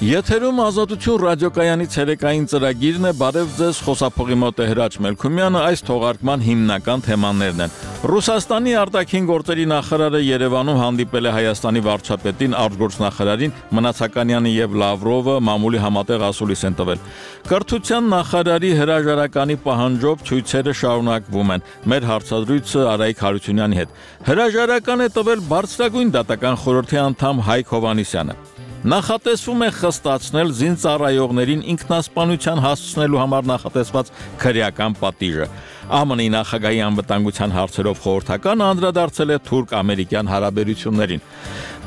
Եթերում Ազատություն ռադիոկայանի ցերեկային ծրագիրն է, բարև ձեզ, խոսափողի մոտ է Հրաչ Մելքումյանը, այս թողարկման հիմնական թեմաներն են։ Ռուսաստանի արտաքին գործերի նախարարը Երևանում հանդիպել է Հայաստանի վարչապետին, արտգործնախարարին, Մնացականյանը եւ Լավրովը մամուլի համատեղ ասուլիս են տվել։ Կրթության նախարարի հրաժարականի պահանջով ցույցերը շարունակվում են։ Մեր հարցադրույցը Արայիկ Հարությունյանի հետ։ Հրաժարական է տվել բարձրագույն դատական խորհրդի անդամ Հայկ Հովհաննիսյանը։ Նախատեսվում է խստացնել զինծառայողներին ինքնասպանության հասցնելու համար նախատեսված քրեական պատիժը։ ԱՄՆ-ի նախագահի անվտանգության հարցերով խորհրդականը անդրադարձել է թուրք-ամերիկյան հարաբերություններին։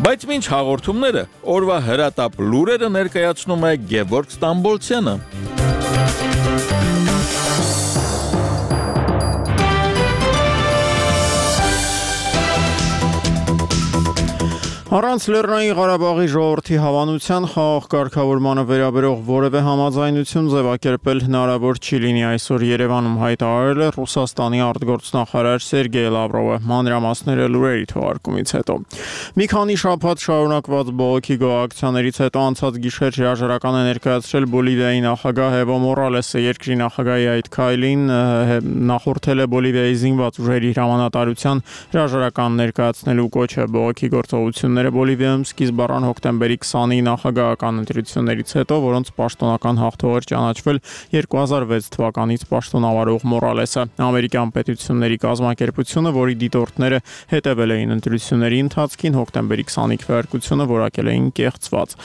Բայց մինչ հաղորդումները, օրվա հրատապ լուրերը ներկայացնում է Գևորգ Ստամբոլցյանը։ Առանց Լեռնային Ղարաբաղի ժողովրդի հավանության խաղաղ կարգավորմանը վերաբերող որևէ համաձայնություն ձևակերպել հնարավոր չի լինի, այսօր Երևանում հայտարարել է Ռուսաստանի արտգործնախարար Սերգեյ Լավրովը, մանրամասները լուրերի թողարկումից հետո։ Մի քանի շաբաթ շարունակված բողոքի գոհակցիաներից հետո անցած գիշեր հրաժարական է ներկայացրել Բոլիվիայի նախագահ Էվո Մորալեսը, երկրի նախագահի այդ քայլին նախորդել է Բոլիվիայի զինված ուժերի հրամանատարության հրաժարական ներկայացնելու կոչը։ Բողոքի գործողությունները Բոլիվիայում սկիզբ առան հոկտեմբերի 20-ի նախագահական ընտրություններից հետո, որոնց պաշտոնական հաղթող էր ճանաչվել 2006 թվականից պաշտոնավարող Մորալեսը։ Ամերիկյան պետությունների կազմակերպությունը, որի դիտորդները հետևել էին ընտրությունների ընթացքին, հոկտեմբերի 20-ի քվեարկությունը որակել էին կեղծված։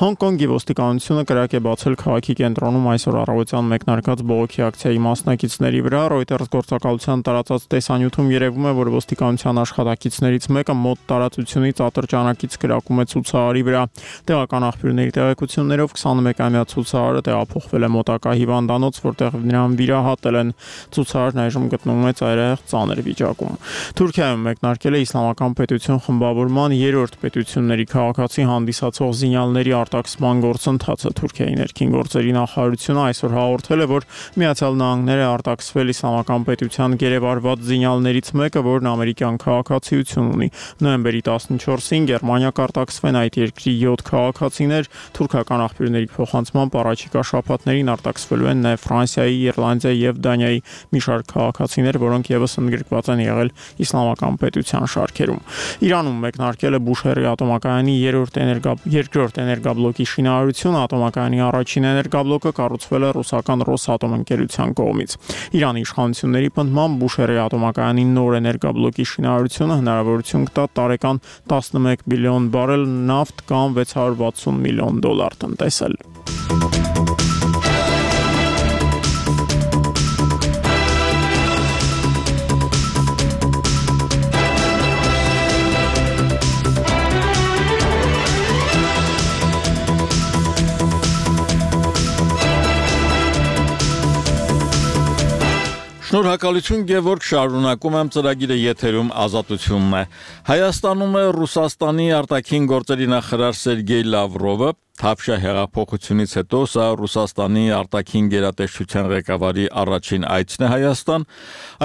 Հոնկոնգի ոստիկանությունը կրակ է բացել քաղաքի կենտրոնում այսօր առավոտյան մեկնարկած բողոքի ակցիայի մասնակիցների վրա։ Reuters գործակալության տարածած տեսանյութում երևում է, որ ոստիկանության աշխատակիցներից մեկը մոտ տարածությունից ատրճանակից կրակում է ցուցարարի վրա։ Տեղական աղբյուրների տեղեկություններով 21-ամյա ցուցարարը տեղափոխվել է մոտակա հիվանդանոց, որտեղ նրան վիրահատել են։ Ցուցարարն այժմ գտնվում է ծայրահեղ ծանր վիճակում։ Թուրքիայում մեկնարկել է Իսլամական պետություն խմբավորման երրորդ պետությունների քաղաքացի հանդիսացող զինյալների արտաքսման գործընթացը։ Թուրքիայի ներքին գործերի նախարարությունը այսօր հաղորդել է, որ Միացյալ Նահանգները արտաքսվել Իսլամական պետության գերեվարված զինյալներից մեկը, որն ամերիկյան քաղաքացիություն ունի։ Նոյեմբերի 14-ին Գերմանիա կարտաքսվեն այդ երկրի 7 քաղաքացիներ։ Թուրքական աղբյուրների փոխանցմամբ առաջիկա շաբաթներին արտաքսվելու են նաև Ֆրանսիայի, Իռլանդիայի եւ Դանիայի մի շարք քաղաքացիներ, որոնք եւս ընդգրկված են եղել Իսլամական պետության շարքերում։ Իրանում մեկնարկել է Բուշեհրի ատոմակայանի երկրորդ էներգաբլոկի շինարարությունը։ Ատոմակայանի առաջին էներգաբլոկը կառուցվել է ռուսական Ռոսատոմ ընկերության կողմից։ Իրանի իշխանությունների պնդմամբ Բուշեհրի ատոմակայանի նոր էներգաբլոկի շինարարությունը հնարավորություն կտա տարեկան 11 բիլիոն բարել նավթ կամ 660 միլիոն դոլար տնտեսել։ Շնորհակալություն Գևորգ, շարունակում եմ ծրագիրը եթերում Ազատությունն է։ Հայաստանում է Ռուսաստանի արտաքին գործերի նախարար Սերգեյ Լավրովը։ Թավշյա հեղափոխությունից հետո սա Ռուսաստանի արտաքին գերատեսչության ղեկավարի առաջին այցն է Հայաստան։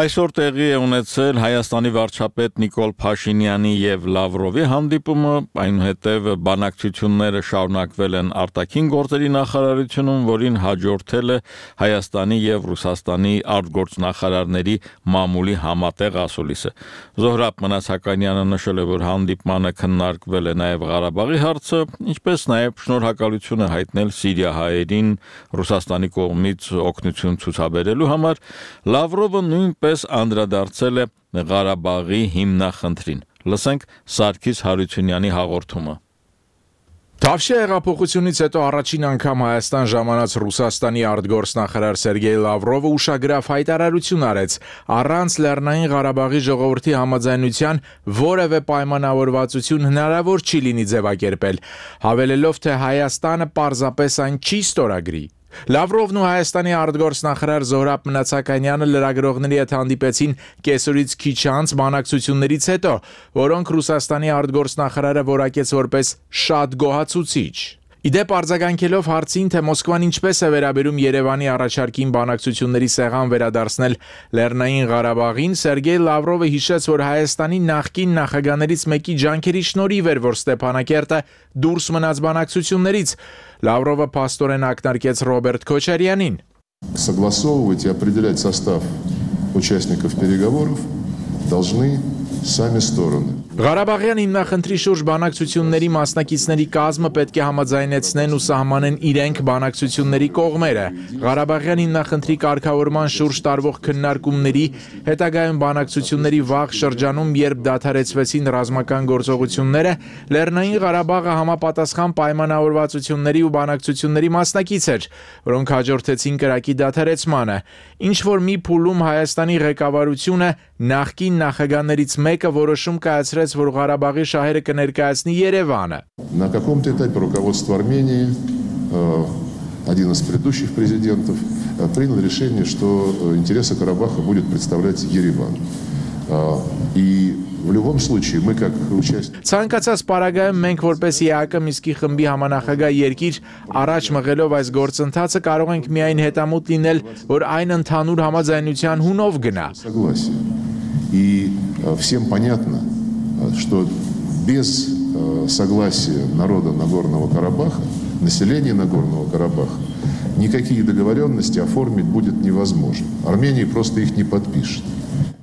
Այսօր տեղի է ունեցել Հայաստանի վարչապետ Նիկոլ Փաշինյանի եւ Լավրովի հանդիպումը, այնուհետև բանակցությունները շարունակվել են արտաքին գործերի նախարարությունում, որին հաջորդել է Հայաստանի եւ Ռուսաստանի արտգործնախարարների մամուլի համատեղ ասուլիսը։ Զոհրաբ Մնացականյանը նշել է, որ հանդիպմանը քննարկվել է նաեւ Ղարաբաղի հարցը, ինչպես նաեւ շնորհակալություն է հայտնել սիրիահայերին Ռուսաստանի կողմից օգնություն ցուցաբերելու համար։ Լավրովը նույնպես անդրադարձել է Ղարաբաղի հիմնախնդրին։ Լսենք Սարգիս Հարությունյանի հաղորդումը։ Թավշյա հեղափոխությունից հետո առաջին անգամ Հայաստան ժամանած Ռուսաստանի արտգործնախարար Սերգեյ Լավրովը ուշագրավ հայտարարություն արեց առանց Լեռնային Ղարաբաղի ժողովրդի համաձայնության որևէ պայմանավորվածություն հնարավոր չի լինի ձևակերպել, հավելելով, թե Հայաստանը պարզապես այն չի ստորագրի։ Լավրովն ու Հայաստանի արտգործնախարար Զոհրաբ Մնացականյանը լրագրողների հետ հանդիպեցին կեսօրից քիչ անց բանակցություններից հետո, որոնք Ռուսաստանի արտգործնախարարը որակեց որպես շատ գոհացուցիչ։ Իդեպ արձագանքելով հարցին, թե Մոսկվան ինչպես է վերաբերում Երևանի առաջարկին բանակցությունների սեղան վերադարձնել Լեռնային Ղարաբաղին, Սերգեյ Լավրովը հիշեց, որ Հայաստանի նախկին նախագահներից մեկի ջանքերի շնորհիվ էր, որ Ստեփանակերտը դուրս մնաց բանակցություններից։ Լավրովը փաստորեն ակնարկեց Ռոբերտ Քոչարյանին. Согласовывать и определять состав участников переговоров должны сами стороны. Ղարաբաղյան հիմնախնդրի շուրջ բանակցությունների մասնակիցների կազմը պետք է համաձայնեցնեն ու սահմանեն իրենք բանակցությունների կողմերը։ Ղարաբաղյան հիմնախնդրի կարգավորման շուրջ տարվող քննարկումների, հետագայում բանակցությունների վաղ շրջանում, երբ դադարեցվեցին ռազմական գործողությունները, Լեռնային Ղարաբաղը համապատասխան պայմանավորվածությունների ու բանակցությունների մասնակից էր, որոնք հաջորդեցին կրակի դադարեցմանը։ Ինչ որ մի փուլում Հայաստանի ղեկավարությունը նախկին նախագահներից մեկը որոշում կայացրեց, որ Ղարաբաղի շահերը կներկայացնի Երևանը։ На каком-то этапе руководство Армении, один из предыдущих президентов, принял решение, что интересы Карабаха будет представлять Ереван. И в любом случае мы как участники Ցանկացած պարագայում մենք որպես ԵԱԿ Միսկի խմբի համանախագահ երկիր առաջ մղելով այս գործընթացը կարող ենք միայն հետամուտ լինել, որ այն ընդհանուր համաձայնության հունով գնա։ И всем понятно, что без согласия народа Нагорного Карабаха, населения Нагорного Карабаха, никакие договоренности оформить будет невозможно. Армения просто их не подпишет.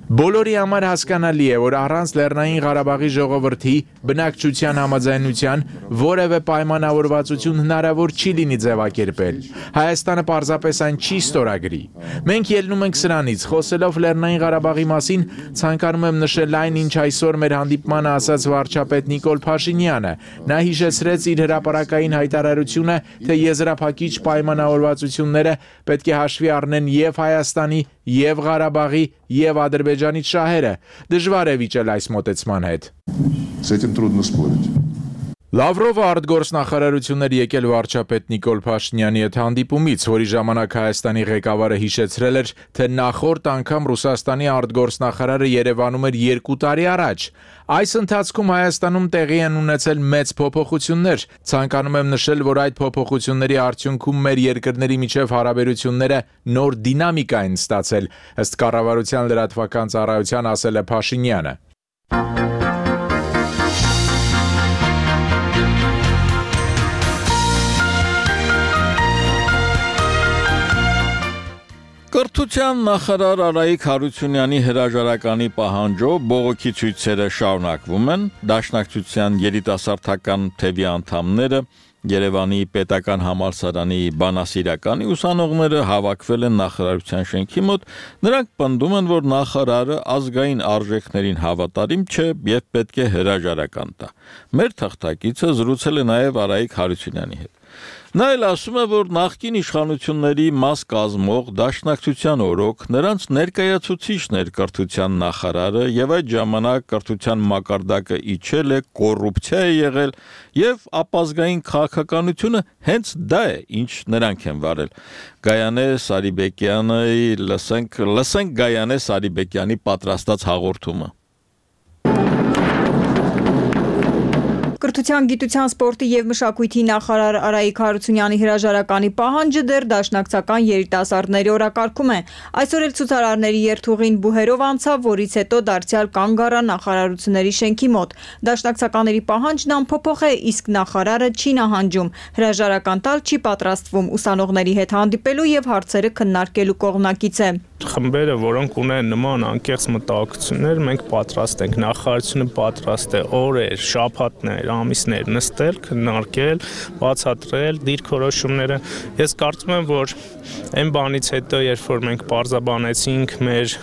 Բոլորի համար հասկանալի է, որ առանց Լեռնային Ղարաբաղի ժողովրդի բնակչության համաձայնության որևէ պայմանավորվածություն հնարավոր չի լինի ձևակերպել։ Հայաստանը պարզապես այն չի ստորագրի։ Մենք ելնում ենք սրանից, խոսելով Լեռնային Ղարաբաղի մասին, ցանկանում եմ նշել այն, ինչ այսօր մեր հանդիպմանը ասաց վարչապետ Նիկոլ Փաշինյանը։ Նա հիշեցրեց իր հրապարակային հայտարարությունը, թե եզրափակիչ պայմանավորվածությունները պետք է հաշվի առնեն եւ Հայաստանի, եւ Ղարաբաղի, եւ Ադրբեջանի շահերը։ Դժվար է վիճել այս մոտեցման հետ։ С этим трудно спорить. Լավրովը արտգործնախարարություններ եկել վարչապետ Նիկոլ Փաշինյանի հետ հանդիպումից, որի ժամանակ Հայաստանի ղեկավարը հիշեցրել էր, թե նախորդ անգամ Ռուսաստանի արտգործնախարարը Երևանում էր 2 տարի առաջ։ Այս ընթացքում Հայաստանում տեղի են ունեցել մեծ փոփոխություններ։ Ցանկանում եմ նշել, որ այդ փոփոխությունների արդյունքում մեր երկրների միջև հարաբերությունները նոր դինամիկա են ստացել, ըստ կառավարության լրատվական ծառայության ասել է Փաշինյանը։ Կրթության նախարար Արայիկ Հարությունյանի հրաժարականի պահանջով բողոքի ցույցերը շարունակվում են։ Դաշնակցության երիտասարդական թևի անդամները Երևանի պետական համալսարանի բանասիրականի ուսանողները հավաքվել են նախարարության շենքի մոտ։ Նրանք պնդում են, որ նախարարը ազգային արժեքներին հավատարիմ չէ եւ պետք է հրաժարական տա։ Մեր թղթակիցը զրուցել է նաեւ Արայիկ Հարությունյանի հետ։ Նա էլ ասում է, որ նախկին իշխանությունների մաս կազմող Դաշնակցության օրոք նրանց ներկայացուցիչն էր կրթության նախարարը եւ այդ ժամանակ կրթության մակարդակը իջել է, կոռուպցիա է եղել եւ ապազգային քաղաքականությունը հենց դա է, ինչ նրանք են վարել։ Գայանե Սարիբեկյանի լսենք Գայանե Սարիբեկյանի պատրաստած հաղորդումը։ Կրթության, գիտության, սպորտի եւ մշակույթի նախարար Արայիկ Հարությունյանի հրաժարականի պահանջը դեռ դաշնակցական երիտասարդների օրակարգում է։ Այսօր էլ ցուցարարների երթուղին բուհերով անցավ, որից հետո դարձյալ կանգ առա նախարարությունների շենքի մոտ։ Դաշնակցականների պահանջն անփոփոխ է, իսկ նախարարը չի նահանջում։ Հրաժարական տալ չի պատրաստվում, ուսանողների հետ հանդիպելու եւ հարցերը քննարկելու կողմնակից է։ Խմբերը, որոնք ունեն նման անկեղծ մտահոգություններ, մենք պատրաստ ենք, նախարարությունը պատրաստ է օրեր, շաբաթներ, ամիսներ նստել, քննարկել, բացատրել դիրքորոշումները։ Ես կարծում եմ, որ այն բանից հետո, երբ որ մենք պարզաբանեցինք մեր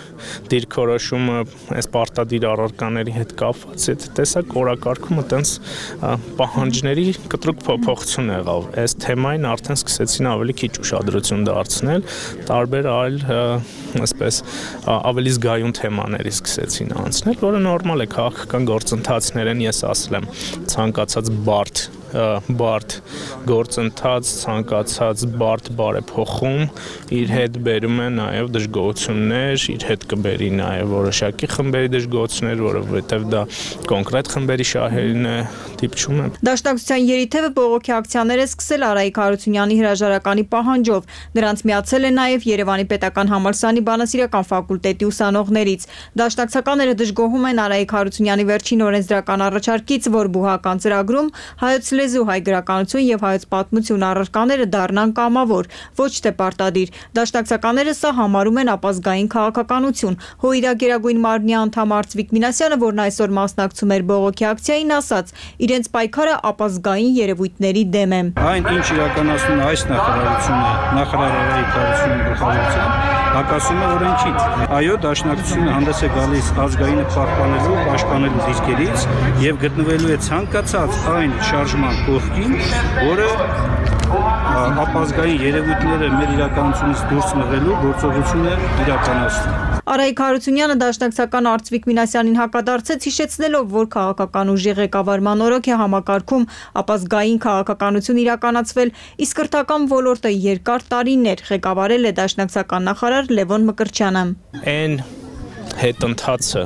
դիրքորոշումը այս պարտադիր առարկաների հետ կապված, այդ տեսակ օրակարգումը տենց պահանջների կտրուկ փոփոխություն եղավ։ Այս թեմային արդեն սկսեցին ավելի քիչ ուշադրություն դարձնել, տարբեր այլ այսպես ավելի զգայուն թեմաների սկսեցին անցնել, որը նորմալ է, քաղաքական գործընթացներ են, ես ասել եմ, ցանկացած բարդ բարդ գործընթաց, ցանկացած բարդ բարեփոխում իր հետ բերում է նաև դժգոհություններ, իր հետ կբերի նաև որոշակի խմբերի դժգոհություններ, որովհետև դա կոնկրետ խմբերի շահերին է դիպչում է։ Դաշնակցության երիթևը բողոքի ակցիաներ է սկսել Արայիկ Հարությունյանի հրաժարականի պահանջով։ Նրանց միացել է նաև Երևանի պետական համալսարանի բանասիրական ֆակուլտետի ուսանողներից։ Դաշնակցականները դժգոհում են Արայիկ Հարությունյանի վերջին օրենսդրական առաջարկից, որ բուհական ծրագրում հայոց լեզու, հայ գրականություն եւ հայոց պատմություն առարկաները դառնան կամավոր, ոչ թե պարտադիր։ Դաշնակցականները սա համարում են ապազգային քաղաքականություն։ ՀՅԴ Գերագույն մարմնի անդամ Արծվիկ Մինասյանը, որն այսօր մասնակցում էր բողոքի ակցիային, ասաց. իրենց պայքարը ապազգային երևույթների դեմ է։ Այն, ինչ իրականացնում է այս նախարարությունը, նախարար Արայիկ Հարությունյանի գլխավորությամբ, հակասում է օրենքից։ Այո, դաշնակցությունը հանդես է գալիս ազգայինը պահպանելու, պաշտպանելու դիրքերից եւ գտնվելու է ցանկացած այն շարժման կողքին, որը ապազգային երևույթները մեր իրականությունից դուրս մղելու գործողություն է իրականացնում։ Արայիկ Հարությունյանը դաշնակցական Արծվիկ Մինասյանին հակադարձեց, հիշեցնելով, որ քաղաքական ուժի ղեկավարման օրոք է համակարգում ապազգային քաղաքականություն իրականացվել, իսկ կրթական ոլորտը երկար տարիներ ղեկավարել է դաշնակցական նախարար Լևոն Մկրտչյանը։ Այն հետընթացը,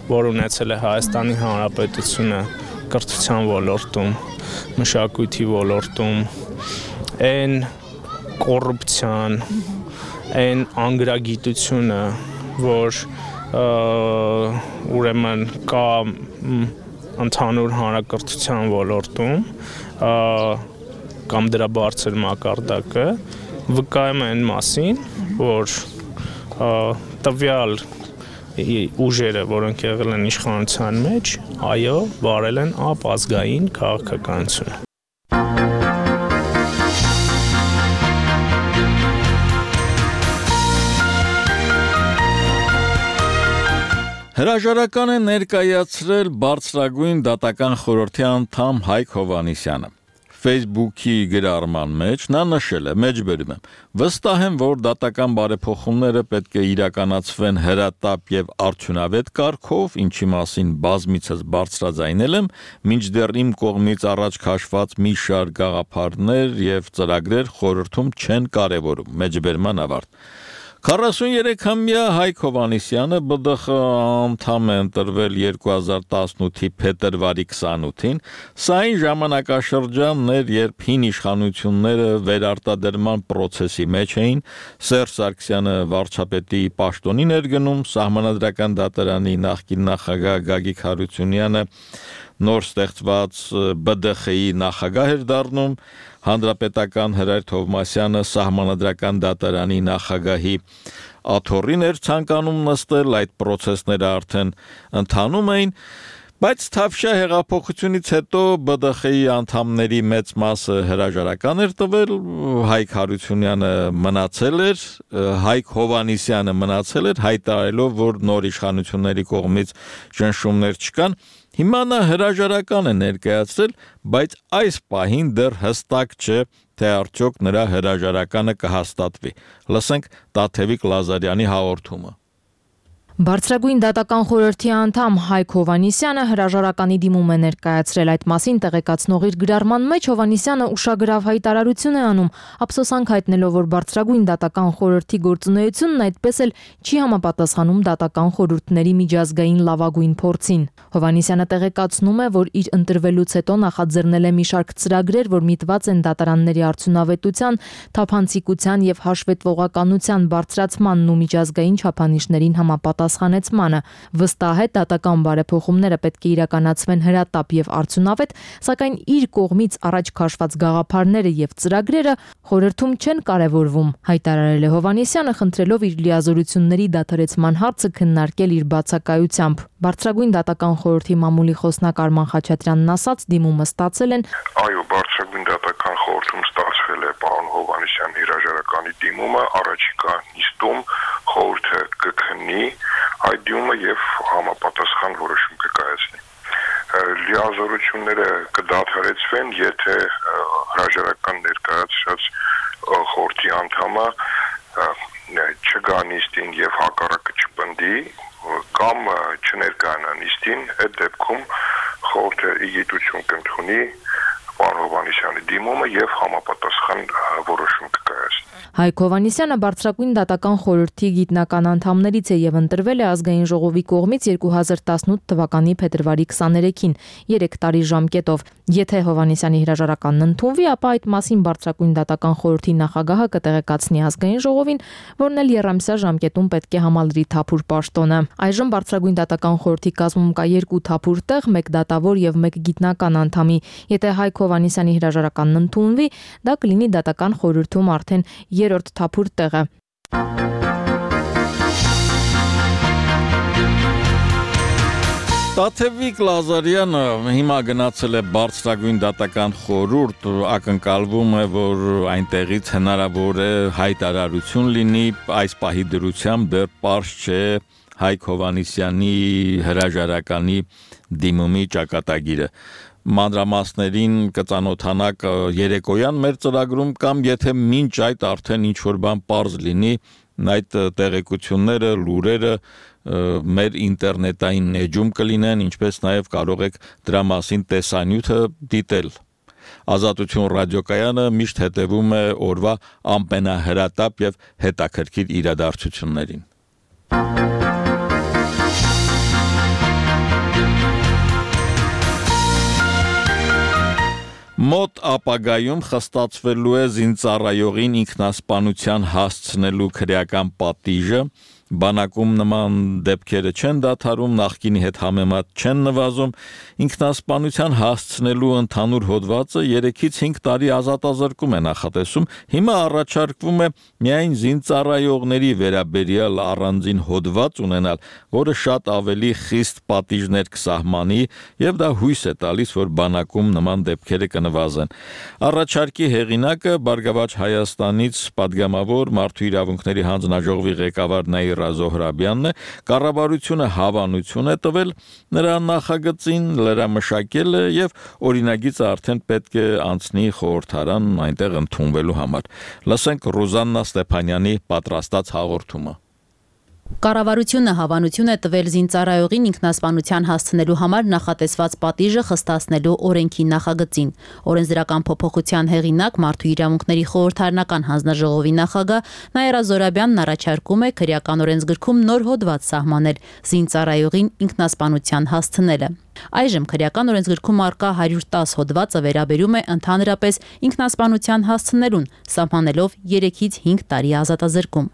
որ ունեցել է Հայաստանի Հանրապետությունը կրթության ոլորտում, մշակույթի ոլորտում, այն կոռուպցիան, այն անգրագիտությունը, որ ուրեմն կա ընդհանուր հանրակրթության ոլորտում կամ դրա բարձր մակարդակը վկայում են մասին, որ տվյալ ուժերը, որոնք եղել են իշխանության մեջ, այո, վարել են ապազգային քաղաքականություն։ Հրաժարական է ներկայացրել բարձրագույն դատական խորհրդի անդամ Հայկ Հովհաննիսյանը։ Facebook-ի գրառման մեջ նա նշել է. մեջբերում եմ. վստահ եմ, որ դատական բարեփոխումները պետք է իրականացվեն հրատապ եւ արդյունավետ կարգով, ինչի մասին բազմիցս բարձրաձայնել եմ, մինչդեռ իմ կողմից առաջ քաշված մի շարք գաղափարներ եւ ծրագրեր խորհրդում չեն կարեւորում։ Մեջբերման ավարտ։ 43-ամյա Հայկ Հովհաննիսյանը ԲԴԽ անդամ է ընտրվել 2018-ի փետրվարի 28-ին, սա այն ժամանակաշրջանն էր, երբ հին իշխանությունները վերարտադրման process-ի մեջ էին, Սերժ Սարգսյանը վարչապետի պաշտոնին էր գնում, Սահմանադրական դատարանի նախկին նախագահ Գագիկ Հարությունյանը նոր ստեղծված ԲԴԽ-ի նախագահ էր դառնում, Հանրապետական Հրայր Թովմասյանը Սահմանադրական դատարանի նախագահի աթոռին էր ցանկանում նստել, այդ process-ները արդեն ընթանում էին, բայց Թավշյա հեղափոխությունից հետո ԲԴԽ-ի անդամների մեծ մասը հրաժարական էր տվել, Հայկ Հարությունյանը մնացել էր, Հայկ Հովհաննիսյանը մնացել էր, հայտարարելով, որ նոր իշխանությունների կողմից ճնշումներ չկան։ Հիմա նա հրաժարական է ներկայացրել, բայց այս պահին դեռ հստակ չէ, թե արդյոք նրա հրաժարականը կհաստատվի։ Լսենք Տաթևիկ Լազարյանի հաղորդումը։ Բարձրագույն դատական խորհրդի անդամ Հայկ Հովհաննիսյանը հրաժարականի դիմում է ներկայացրել, այդ մասին տեղեկացնող իր գրառման մեջ Հովհաննիսյանը ուշագրավ հայտարարություն է անում, ափսոսանք հայտնելով, որ բարձրագույն դատական խորհրդի գործունեությունն այդպես էլ չի համապատասխանում դատական խորհուրդների միջազգային լավագույն փորձին։ Հովհաննիսյանը տեղեկացնում է, որ իր ընտրվելուց հետո նախաձեռնել է մի շարք ծրագրեր, որ միտված են դատարանների արդյունավետության, թափանցիկության եւ հաշվետվողականության բարձրացմանն ու միջազգային չափանիշներին համապատասխանեցմանը։ Վստահ է, դատական բարեփոխումները պետք է իրականացվեն հրատապ եւ արդյունավետ, սակայն իր կողմից առաջ քաշված գաղափարները եւ ծրագրերը խորհրդում չեն կարևորվում, հայտարարել է Հովհաննիսյանը, խնդրելով իր լիազորությունների դադարեցման հարցը քննարկել իր բացակայությամբ։ Բարձրագույն դատական խորհրդի մամուլի խոսնակ Արման Խաչատրյանն ասաց, դիմումը ստացել են։ Այո, բարձրագույն դատական խորհրդում ստացվել է պարոն Հովհաննիսյանի հրաժարականի դիմումը, առաջիկա նիստում խորհուրդը կքննի այդ դիմումը եւ համապատասխան որոշում կկայացնի։ Լիազորությունները կդադարեցվեն, եթե հրաժարական ներկայացրած խորհրդի անդամը չգա նիստին եւ հակառակը չպնդի կամ չներկայանա նիստին, այդ դեպքում խորհուրդը իգիտություն կընդունի պարոն Հովհաննիսյանի դիմումը եւ համապատասխան որոշում կկայացնի։ Հայկ Հովհաննիսյանը բարձրագույն դատական խորհրդի գիտնական անդամներից է եւ ընտրվել է ազգային ժողովի կողմից 2018 թվականի փետրվարի 23-ին 3 տարի ժամկետով։ Եթե Հովհաննիսյանի հրաժարականն ընդունվի, ապա այդ մասին բարձրագույն դատական խորհրդի նախագահը կտեղեկացնի ազգային ժողովին, որն էլ երամսյա ժամկետում պետք է համալրի թափուր պաշտոնը։ Այժմ բարձրագույն դատական խորհրդի կազմում կա 2 թափուր տեղ, 1 դատավոր եւ 1 գիտնական անդամի։ Եթե Հայկ Հովհաննիսյանի հրաժարականն ընդունվի, դա կլինի դատական խորհրդում արդեն 3-րդ թափուր տեղը։ Տաթևիկ Լազարյանը հիմա գնացել է բարձրագույն դատական խորհուրդ, ակնկալվում է, որ այնտեղից հնարավոր է հայտարարություն լինի, այս պահի դրությամբ դեռ պարզ չէ Հայկ Հովհաննիսյանի հրաժարականի դիմումի ճակատագիրը։ Մանրամասներին կծանոթանաք երեկոյան մեր ծրագրում կամ եթե մինչ այդ արդեն ինչ-որ բան պարզ լինի, այդ տեղեկությունները, լուրերը մեր ինտերնետային էջում կլինեն, ինչպես նաև կարող եք դրա մասին տեսանյութը դիտել։ Ազատություն ռադիոկայանը միշտ հետևում է օրվա ամենահրատապ եւ հետաքրքիր իրադարձություններին։ Մոտ ապագայում խստացվելու է զինծառայողին ինքնասպանության հասցնելու քրեական պատիժը, բանակում նման դեպքերը չեն դադարում, նախկինի հետ համեմատ չեն նվազում, ինքնասպանության հասցնելու ընդհանուր հոդվածը 3-ից 5 տարի ազատազրկում է նախատեսում, հիմա առաջարկվում է միայն զինծառայողների վերաբերյալ առանձին հոդված ունենալ, որը շատ ավելի խիստ պատիժներ կսահմանի եւ դա հույս է տալիս, որ բանակում նման դեպքերը կնվազեն։ Առաջարկի հեղինակը Բարգավաճ Հայաստանից պատգամավոր Մարդու իրավունքների հանձնաժողովի ղեկավար Նաիրա Զոհրաբյանն է, կառավարությունը հավանություն է տվել նրա նախագծին, լրամշակել է եւ օրինագիծը արդեն պետք է անցնի խորհրդարան այնտեղ ընդունվելու համար։ Լսենք Ռուզաննա Ստեփանյանի պատրաստած հաղորդումը։ Կառավարությունը հավանություն է տվել զինծառայողին ինքնասպանության հասցնելու համար նախատեսված պատիժը խստացնելու օրենքի նախագծին։ Օրենսդրական փոփոխության հեղինակ Մարդու իրավունքների խորհրդարանական հանձնաժողովի նախագահ Նաիրա Զոհրաբյանն առաջարկում է քրեական օրենսգրքում նոր հոդված սահմանել զինծառայողին ինքնասպանության հասցնելը։ Այժմ քրեական օրենսգրքում առկա 110 հոդվածը վերաբերում է ընդհանրապես ինքնասպանության հասցնելուն, սահմանելով 3-ից 5 տարի ազատազրկում։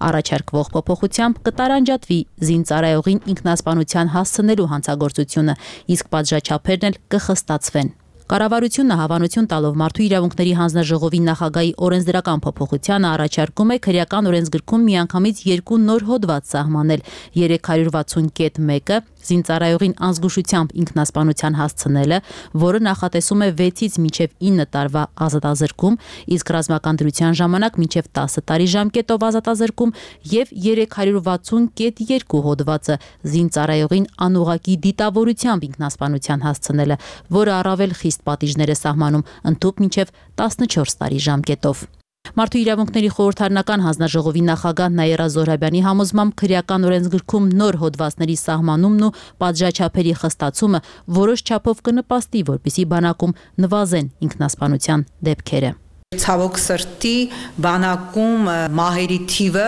Առաջարկվող փոփոխությամբ կտարանջատվի զինծառայողին ինքնասպանության հասցնելու հանցագործությունը, իսկ պատժաչափերն էլ կխստացվեն։ Կառավարությունը հավանություն տալով Մարդու իրավունքների հանձնաժողովի նախագահի օրենսդրական փոփոխությանը առաջարկում է քրեական օրենսգրքում միանգամից 2 նոր հոդված սահմանել 360.1-ը զինծառայողին անզգուշությամբ ինքնասպանության հասցնելը, որը նախատեսում է 6-ից մինչև 9 տարվա ազատազրկում, իսկ ռազմական դրության ժամանակ մինչև 10 տարի ժամկետով ազատազրկում եւ 360.2 հոդվածը զինծառայողին անուղղակի դիտավորությամբ ինքնասպանության հասցնելը, որը առավել խիստ պատիժներ է սահմանում ընդհանուր մինչև 14 տարի ժամկետով։ Մարդու իրավունքների խորհրդարանական հանձնաժողովի նախագահ Նաիրա Զոհրաբյանի համոզմամբ քրեական օրենսգրքում նոր հոդվածների սահմանումն ու պատժաչափերի խստացումը որոշ չափով կնպաստի, որպեսզի բանակում նվազեն ինքնասպանության դեպքերը։ Ցավոք սրտի բանակում մահերի թիվը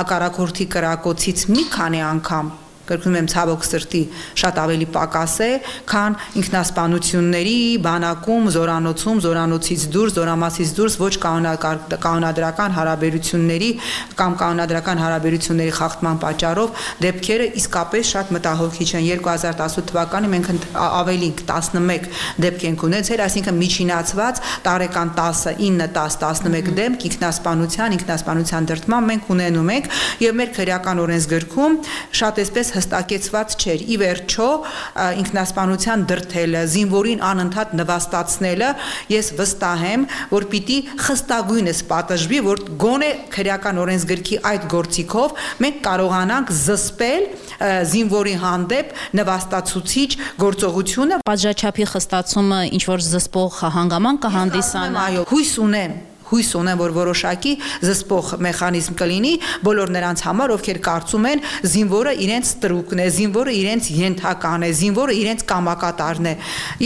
հակառակորդի կրակոցից մի քանի անգամ կրկնում եմ ցավոք սրտի շատ ավելի պակաս է, քան ինքնասպանությունների բանակում, զորանոցում, զորանոցից դուրս, զորամասից դուրս ոչ կանոնադրական հարաբերությունների կամ կանոնադրական հարաբերությունների խախտման պատճառով դեպքերը իսկապես շատ մտահոգիչ են։ 2018 թվականին մենք ավելի 11 դեպք ենք ունեցել, այսինքն միջինացված տարեկան 10, 9, 10, 11 դեպք ինքնասպանության դրդման մենք ունենում ենք եւ մեր քրեական օրենսգրքում շատ էսպես հստակեցված չէր։ Ի վերջո ինքնասպանության դրդելը, զինվորին անընդհատ նվաստացնելը, ես վստահ եմ, որ պիտի խստագույնս պատժվի, որ գոնե քրեական օրենսգրքի այդ գործիքով մենք կարողանանք զսպել զինվորի հանդեպ նվաստացուցիչ գործողությունը։ Պատժաչափի խստացումը ինչ որ զսպող հանգամանք կհանդիսանա։ Այո, հույս ունեմ, հույս ունեմ, որ որոշակի զսպող մեխանիզմ կլինի բոլոր նրանց համար, ովքեր կարծում են զինվորը իրենց տրուկն է, զինվորը իրենց ենթական է, զինվորը իրենց կամակատարն է։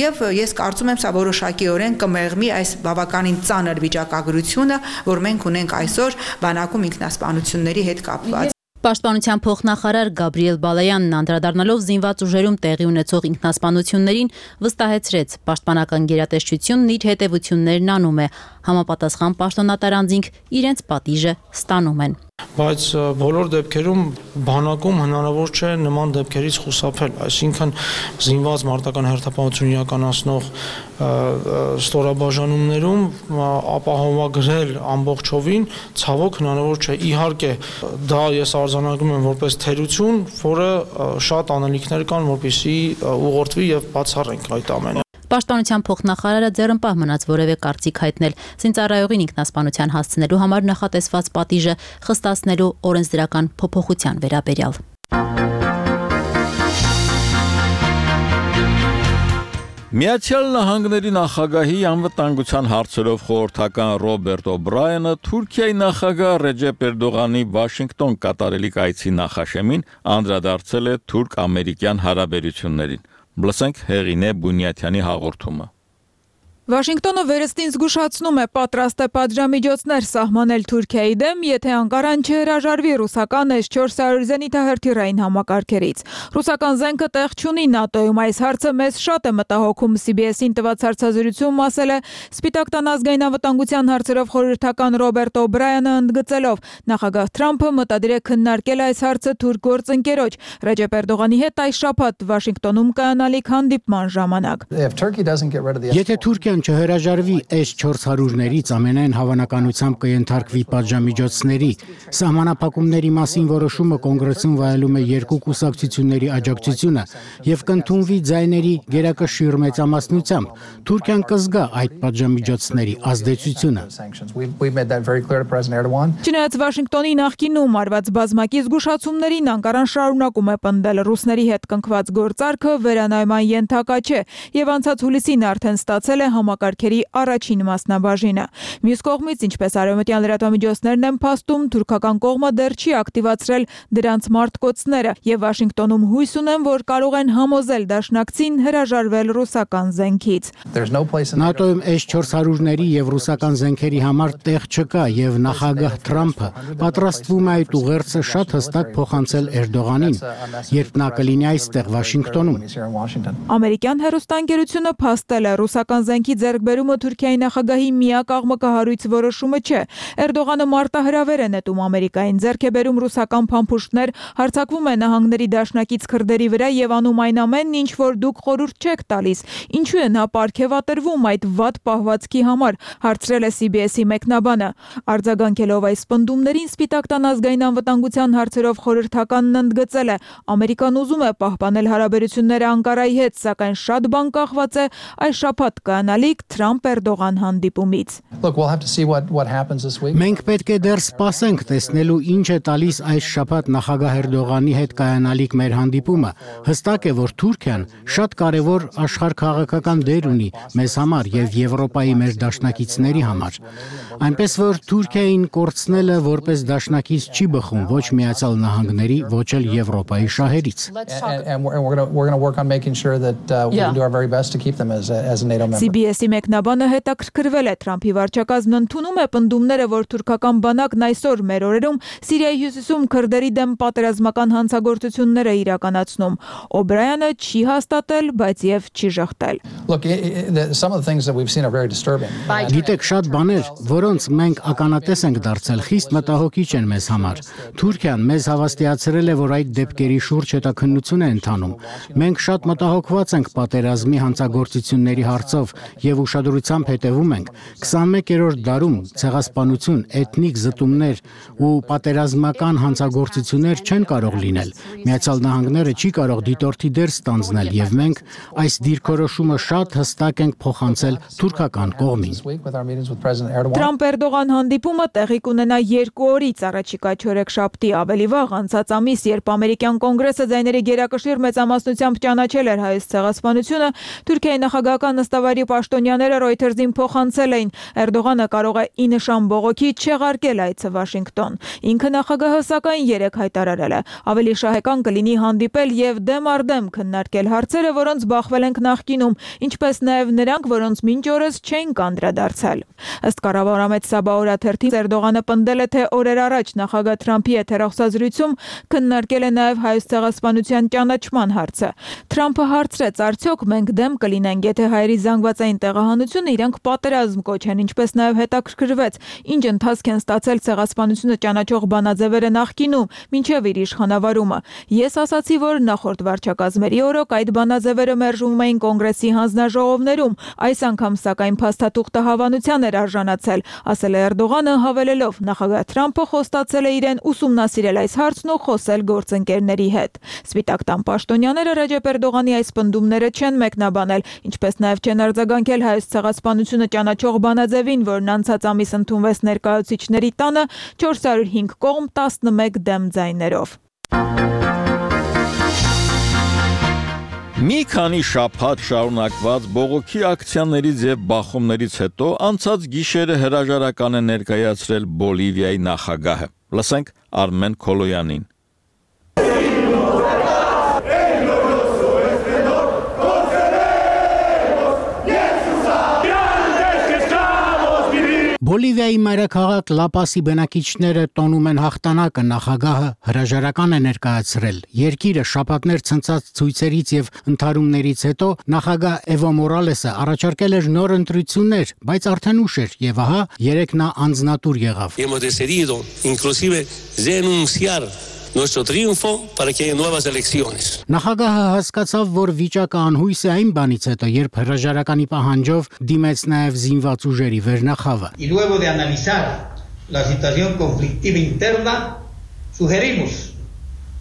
Եվ ես կարծում եմ, սա որոշակիորեն կմեղմի այս բավականին ծանր վիճակագրությունը, որ մենք ունենք այսօր բանակում ինքնասպանությունների հետ կապված։ Պաշտպանության փոխնախարար Գաբրիել Բալայանն անդրադառնալով զինված ուժերում տեղի ունեցող ինքնասպանություններին վստահեցրեց, պաշտպանական գերատեսչությունն իր հետևություններն անում է, համապատասխան պաշտոնատար անձինք իրենց պատիժը ստանում են։ Բայց բոլոր դեպքերում բանակում հնարավոր չէ նման դեպքերից խուսափել, այսինքն զինված մարտական հերթապահություն իրականացնող ստորաբաժանումներում ապահովագրել ամբողջովին ցավոք հնարավոր չէ։ Իհարկե դա ես արձանագրում եմ որպես թերություն, որը շատ անելիքներ կան, որպեսզի ուղղորդվի եւ բացառենք այդ ամենը։ Պաշտպանության փոխնախարարը ձեռնպահ մնաց որևէ կարծիք հայտնել զինծառայողին ինքնասպանության հասցնելու համար նախատեսված պատիժը խստացնելու օրենսդրական փոփոխության վերաբերյալ։ Միացյալ Նահանգների նախագահի անվտանգության հարցերով խորհրդական Ռոբերտ Օբրայանը Թուրքիայի նախագահ Ռեջեփ Էրդողանի Վաշինգտոն կատարելիք այցի նախաշեմին անդրադարձել է թուրք-ամերիկյան հարաբերություններին։ Լսենք Հեղինե Բունյաթյանի հաղորդումը։ Վաշինգտոնը վերստին զգուշացնում է պատրաստ է պատժամիջոցներ սահմանել Թուրքիայի դեմ, եթե Անկարան չհրաժարվի ռուսական S-400 զենիթահրթիռային համակարգերից։ Ռուսական զենքը տեղ չունի ՆԱՏՕ-ում, այս հարցը մեզ շատ է մտահոգում, CBS-ին տված հարցազրույցում ասել է Սպիտակ տան ազգային անվտանգության հարցերով խորհրդական Ռոբերտ Օբրայանը, ընդգծելով նախագահ Թրամփը մտադիր է քննարկել այս հարցը թուրք գործընկերոջ Ռեջեփ Էրդողանի հետ այս շաբաթ Վաշինգտոնում կայանալիք հանդիպման ժամանակ։ Եթե Թուրքիան չհրաժարվի S-400-ներից ամենայն հավանականությամբ կենթարկվի պատժամիջոցների, սահմանափակումների մասին որոշումը կոնգրեսում վայելում է երկու կուսակցությունների աջակցությունը եւ կընդունվի ձայների գերակշիռ մեծամասնությամբ, Թուրքիան կզգա այդ պատժամիջոցների ազդեցությունը։ Չնայած Վաշինգտոնի նախկինում արված բազմակի զգուշացումներին Անկարան շարունակում է պնդել ռուսների հետ կնքված գործարքը վերանայման ենթակա չէ եւ անցած հուլիսին արդեն ստացել է համակարգերի առաջին մասնաբաժինը։ Մյուս կողմից, ինչպես արևմտյան լրատվամիջոցներն են փաստում, թուրքական կողմը դեռ չի ակտիվացրել դրանց մարտկոցները եւ Վաշինգտոնում հույս ունեն, որ կարող են համոզել դաշնակցին հրաժարվել ռուսական զենքից։ ՆԱՏՕ-ում S-400-ների եւ ռուսական զենքերի համար տեղ չկա եւ նախագահ Թրամփը պատրաստվում է այդ ուղերձը շատ հստակ փոխանցել Էրդողանին, երբ նա կլինի այստեղ Վաշինգտոնում։ Ամերիկյան հեռուստաընկերությունը փաստել է ռուսական զենքի ձեռքբերումը Թուրքիայի նախագահի միակ աղմկահարույց որոշումը չէ։ Էրդողանը մարտահրավեր է նետում Ամերիկային, ձեռք է բերում ռուսական փամփուշտներ, հարձակվում է նահանգների դաշնակից քրդերի վրա եւ անում այն ամենն, ինչ որ դուք խորհուրդ չեք տալիս։ Ինչու է նա պարգևատրվում այդ վատ պահվածքի համար, հարցրել է CBS-ի մեկնաբանը։ Արձագանքելով այս պնդումներին, Սպիտակ տան ազգային անվտանգության հարցերով խորհրդականն ընդգծել է. Ամերիկան ուզում է պահպանել հարաբերությունները Անկարայի հետ, սակայն շատ բան կախված է այս շաբաթ կանալիք Թրամփ-Էրդողան հանդիպումից։ Մենք պետք է դեռ սպասենք տեսնելու ինչ է տալիս այս շաբաթ նախագահ Էրդողանի հետ կանալիք մեր հանդիպումը։ Հստակ է, որ Թուրքիան շատ կարևոր աշխարհքաղաքական դեր ունի մեզ համար եւ Եվրոպայի մեր դաշնակիցների համար։ Այնպես որ Թուրքիային կորցնելը որպես դաշնակից չի բխում ոչ Միացյալ Նահանգների, ոչ էլ Եվրոպայի շահերից։ CBS-ի մեկնաբանը հետաքրքրվել է Թրամփի վարչակազմն ընդունում է պնդումները, որ թուրքական բանակն այսօր մեր օրերում Սիրիայի հյուսիսում քրդերի դեմ պատերազմական հանցագործություններ է իրականացնում։ Օբրայանը չի հաստատել, բայց եւ չի ժխտել։ Գիտեք, շատ բաներ, որոնց մենք ականատես ենք դարձել, խիստ մտահոգիչ են մեզ համար։ Թուրքիան մեզ հավաստիացրել է, որ այդ դեպքերի շուրջ հետաքննություն է ընթանում։ Մենք շատ մտահոգված ենք պատերազմի հանցագործությունների հարցով եւ ուշադրությամբ հետևում ենք 21-րդ դարում ցեղասպանություն, էթնիկ զտումներ ու պատերազմական հանցագործություններ չեն կարող լինել։ Միացյալ Նահանգները չի կարող դիտորդի դեր ստանձնել եւ մենք այս դիրքորոշումը շատ հստակ ենք փոխանցել թուրքական կողմին։ Թրամփ-Էրդողան հանդիպումը տեղի կունենա 2 օրից առաջիկա չորեքշաբթի, ավելի վաղ անցած ամիս, երբ ամերիկյան կոնգրեսը ձայների գերակշիռ մեծամասնությամբ ճանաչել էր հայոց ցեղասպանությունը, Թուրքիայի նախագահական նստավայրի պաշտոնյաները Reuters-ին փոխանցել էին, Էրդողանը կարող է ի նշան բողոքի չեղարկել այցը Վաշինգտոն։ Ինքը նախագահը սակայն երեկ հայտարարել է, ավելի շահեկան կլինի հանդիպել եւ դեմ առ դեմ քննարկել հարցերը, որոնց բախվել ենք նախկինում, ինչպես նաեւ նրանք, որոնց մինչ օրս չէին կանդրադարձել։ Ըստ կառավարամետ Սաբա թերթի Էրդողանը պնդել է, թե օրեր առաջ նախագահ Թրամփի եթերախոսազրույցում քննարկել է նաեւ հայոց ցեղասպանության ճանաչման հարցը։ Թրամփը հարցրեց, արդյոք մենք դեմ կլինենք, եթե հայերի զանգվածային տեղահանությունը իրենք պատերազմ կոչեն, ինչպես նաեւ հետաքրքրվեց, ինչ ընթացք են ստացել ցեղասպանությունը ճանաչող բանաձևերը նախկինում, մինչև իր իշխանավարումը։ Ես ասացի, որ նախորդ վարչակազմերի օրոք այդ բանաձևերը մերժվում էին կոնգրեսի հանձնաժողովներում, այս անգամ սակայն փաստաթուղթը հավանության էր արժանացել, ասել է Էրդողանը, հավելելով նախագահ Թրամփը խոստացել է իրեն ուսումնասիրել այս հարցն ու խոսել գործընկերների հետ։ Սպիտակ տան պաշտոնյաները Ռեջեփ Էրդողանի այս պնդումները չեն մեկնաբանել, ինչպես նաև չեն արձագանքել հայոց ցեղասպանությունը ճանաչող բանաձևին, որն անցած ամիս ընդունվեց ներկայացուցիչների տանը 405 կողմ 11 դեմ ձայներով։ Մի քանի շաբաթ շարունակված բողոքի ակցիաներից եւ բախումներից հետո անցած գիշերը հրաժարական է ներկայացրել Բոլիվիայի նախագահը։ Լսենք Արմեն Քոլոյանին։ Բոլիվիայի մայրաքաղաք Լապասի բնակիչները տոնում են հաղթանակը, նախագահը հրաժարական է ներկայացրել։ Երկիրը շաբաթներ ցնցած ցույցերից եւ ընդհարումներից հետո նախագահ Էվո Մորալեսը առաջարկել էր նոր ընտրություններ, բայց արդեն ուշ էր եւ ահա երեկ նա անձնատուր եղավ։ Nuestro triunfo para que haya nuevas elecciones. Նախագահը հասկացավ, որ վիճակը անհույս է այն բանից հետո, երբ հրաժարականի պահանջով դիմեց նաև զինված ուժերի վերնախավը։ Y luego de analizar la situación conflictiva interna, sugerimos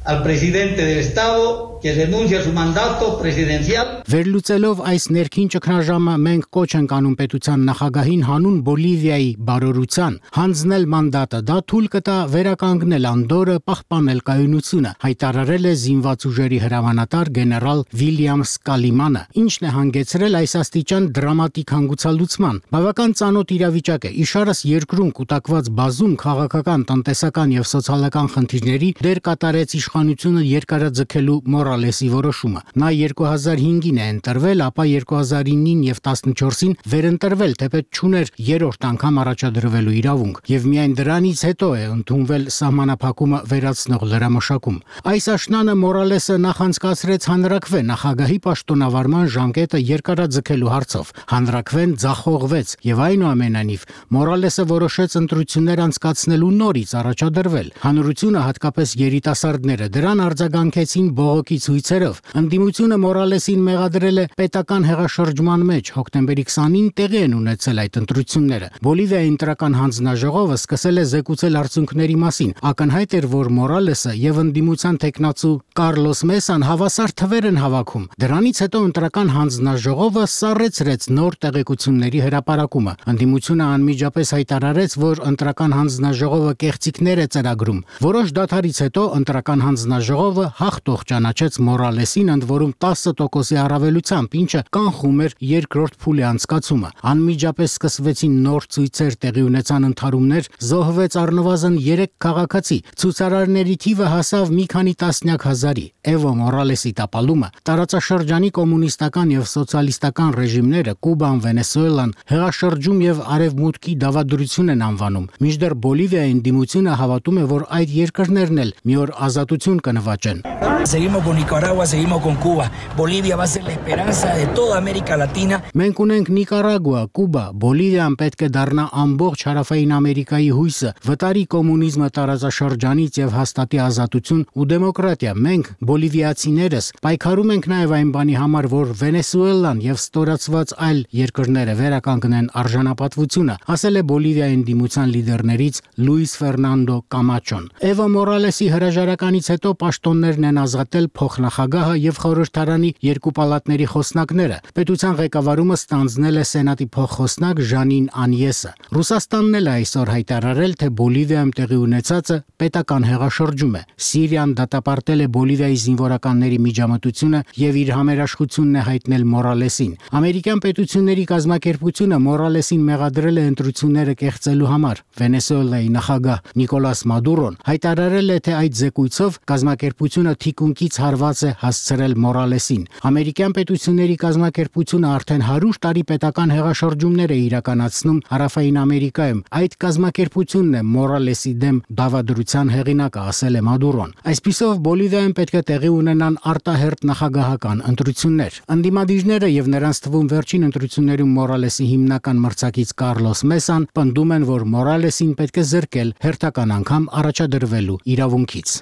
al presidente del Estado que renuncie a su mandato presidencial. Վերլուծելով այս ներքին ճգնաժամը մենք կոչ ենք անում պետության նախագահին հանուն Բոլիվիայի բարօրության հանձնել մանդատը, դա թույլ կտա վերականգնել անդորը, պահպանել կայունությունը, հայտարարել է զինված ուժերի հրամանատար գեներալ Վիլյամ Սկալիմանը, ինչն է հանգեցրել այս աստիճան դրամատիկ հանգուցալուծման։ Բավական ծանոթ իրավիճակ է, իշարս երկրում կուտակված բազում քաղաքական, տնտեսական եւ սոցիալական խնդիրների դեր կատարեց իշխանությունը երկարաձգելու Մորալեսի որոշումը։ Նա 2005-ին է ընտրվել, ապա 2009-ին եւ 14-ին վերընտրվել, թեպետ չուներ երրորդ անգամ առաջադրվելու իրավունք, եւ միայն դրանից հետո է ընդունվել սահմանափակումը վերացնող լրամշակում։ Այս աշնանը Մորալեսը նախանցկացրեց հանրաքվե նախագահի պաշտոնավարման ժամկետը երկարաձգելու հարցով։ Հանրաքվեն ձախողվեց եւ այնուամենայնիվ Մորալեսը որոշեց ընտրություններ անցկացնելու նորից առաջադրվել։ Հանրությունը, հատկապես երիտասարդները, դրան արձագանքեցին բողոքի ցույցերով։ Ընդդիմությունը Մորալեսին մեղադրել է պետական հեղաշրջման մեջ։ Հոկտեմբերի 20-ին տեղի են ունեցել այդ ընտրությունները։ Բոլիվիայի ընտրական հանձնաժողովը սկսել է զեկուցել արդյունքների մասին։ Ակնհայտ էր, որ Մորալեսը եւ ընդդիմության տեխնացու Կարլոս Մեսան հավասար թվեր են հավաքում։ Դրանից հետո ընտրական հանձնաժողովը սառեցրեց նոր տեղեկությունների հրապարակումը։ Ընդդիմությունը անմիջապես հայտարարեց, որ ընտրական հանձնաժողովը կեղծիքներ է ծրագրում։ Որոշ դադարից հետո ընտրական հանձնաժողովը հաղթող ճանաչեց Մորալեսին, ընդ որում 10% առավելությամբ, ինչը կանխում էր երկրորդ փուլի անցկացումը։ Անմիջապես սկսվեցին նոր ցույցեր, տեղի ունեցան ընդհարումներ, զոհվեց առնվազն 3 քաղաքացի։ Ցուցարարների թիվը հասավ մի քանի տասնյակ հազարի։ Էվո Մորալեսի տապալումը տարածաշրջանի կոմունիստական եւ սոցիալիստական ռեժիմները Կուբան, Վենեսուելան, հեղաշրջում եւ արևմուտքի դավադրություն են անվանում։ Մինչդեռ Բոլիվիայի ընդդիմությունը հավատում է, որ այդ երկրներն էլ մի օր ազատություն կնվաճեն։ Seguimos con Nicaragua, seguimos con Cuba. Bolivia va a ser la esperanza de toda América Latina. Մենք ունենք Նիկարագուա, Կուբա, Բոլիվիան պետք է դառնա ամբողջ հարավային Ամերիկայի հույսը, վտարի կոմունիզմը տարածաշրջանից եւ հաստատի ազատություն ու դեմոկրատիա։ Մենք բոլիվիացիներս պայքարում ենք նաեւ այն բանի համար, որ Վենեսուելան եւ ստորացված այլ երկրները վերականգնեն արժանապատվությունը, ասել է Բոլիվիայի ընդդիմության լիդերներից Լուիս Ֆերնանդո Կամաչոն։ Էվո Մորալեսի հրաժարականից հետո պաշտոններն են ազատել փոխնախագահը եւ խորհրդարանի երկու պալատների խոսնակները։ Պետության ղեկավարումը ստանձնել է Սենատի փոխխոսնակ Ժանին Անյեսը։ Ռուսաստանն էլ այսօր հայտարարել, թե Բոլիվիայում տեղի ունեցածը պետական հեղաշրջում է։ Սիրիան դատապարտել է Բոլիվիայի զինվորականների միջամտությունը եւ իր համերաշխությունն է հայտնել Մորալեսին։ Ամերիկյան պետությունների կազմակերպությունը Մորալեսին մեղադրել է ընտրությունները կեղծելու համար։ Վենեսուելայի նախագահ Նիկոլաս Մադուրոն հայտարարել է, թե այդ զեկույցով կազմակերպությունը թիկունքից հարված է հասցրել Մորալեսին։ Ամերիկյան պետությունների կազմակերպությունը արդեն 100 տարի պետական հեղաշրջումներ է իրականացնում Հարավային Ամերիկայում։ Այդ կազմակերպությունն է Մորալեսի դեմ դավադրության հեղինակը, ասել է Մադուրոն։ Այսպիսով Բոլիվիայում պետք է տեղի ունենան արտահերթ նախագահական ընտրություններ։ Ընդդիմադիրները եւ նրանց թվում վերջին ընտրություններում Մորալեսի հիմնական մրցակից Կարլոս Մեսան պնդում են, որ Մորալեսին պետք է զրկել հերթական անգամ առաջադրվելու իրավունքից։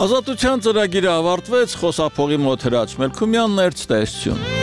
Ազատության ծրագիրը ավարտվեց, խոսափողի մոտ Հրաչ Մելքումյանն էր, ցտեսություն։